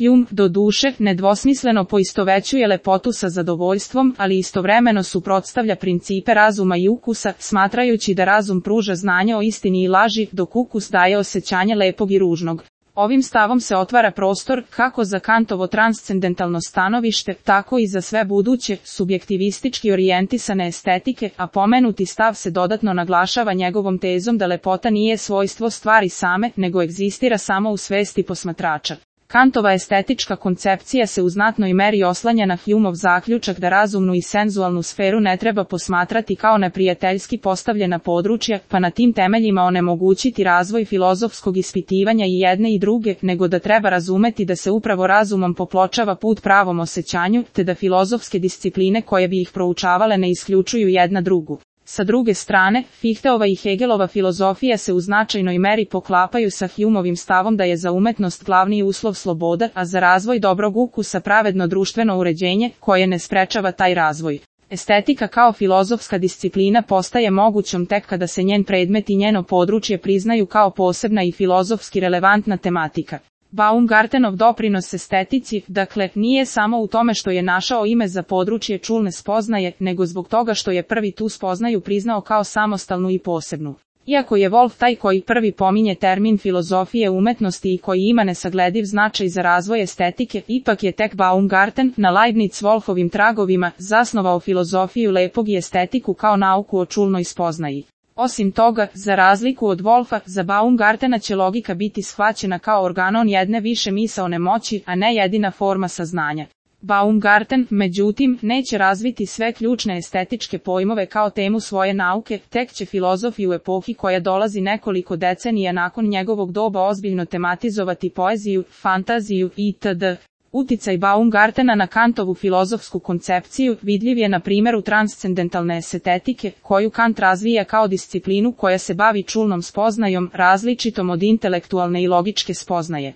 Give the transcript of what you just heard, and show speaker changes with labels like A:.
A: Hume, do duše, nedvosmisleno poistovećuje lepotu sa zadovoljstvom, ali istovremeno suprotstavlja principe razuma i ukusa, smatrajući da razum pruža znanje o istini i laži, dok ukus daje osjećanje lepog i ružnog. Ovim stavom se otvara prostor, kako za Kantovo transcendentalno stanovište, tako i za sve buduće, subjektivistički orijentisane estetike, a pomenuti stav se dodatno naglašava njegovom tezom da lepota nije svojstvo stvari same, nego egzistira samo u svesti posmatrača. Kantova estetička koncepcija se u znatnoj meri oslanja na Humeov zaključak da razumnu i senzualnu sferu ne treba posmatrati kao neprijateljski postavljena područja, pa na tim temeljima onemogućiti razvoj filozofskog ispitivanja i jedne i druge, nego da treba razumeti da se upravo razumom popločava put pravom osjećanju, te da filozofske discipline koje bi ih proučavale ne isključuju jedna drugu. Sa druge strane, Fichteova i Hegelova filozofija se u značajnoj meri poklapaju sa Humeovim stavom da je za umetnost glavni uslov sloboda, a za razvoj dobrog ukusa pravedno društveno uređenje, koje ne sprečava taj razvoj. Estetika kao filozofska disciplina postaje mogućom tek kada se njen predmet i njeno područje priznaju kao posebna i filozofski relevantna tematika. Baumgartenov doprinos estetici, dakle, nije samo u tome što je našao ime za područje čulne spoznaje, nego zbog toga što je prvi tu spoznaju priznao kao samostalnu i posebnu. Iako je Wolf taj koji prvi pominje termin filozofije umetnosti i koji ima nesaglediv značaj za razvoj estetike, ipak je tek Baumgarten, na Leibniz-Wolfovim tragovima, zasnovao filozofiju lepog i estetiku kao nauku o čulnoj spoznaji. Osim toga, za razliku od Wolfa, za Baumgartena će logika biti shvaćena kao organon jedne više misaone moći, a ne jedina forma saznanja. Baumgarten, međutim, neće razviti sve ključne estetičke pojmove kao temu svoje nauke, tek će filozofi u epohi koja dolazi nekoliko decenija nakon njegovog doba ozbiljno tematizovati poeziju, fantaziju itd. Uticaj Baumgartena na Kantovu filozofsku koncepciju vidljiv je na primjeru transcendentalne estetike, koju Kant razvija kao disciplinu koja se bavi čulnom spoznajom, različitom od intelektualne i logičke spoznaje.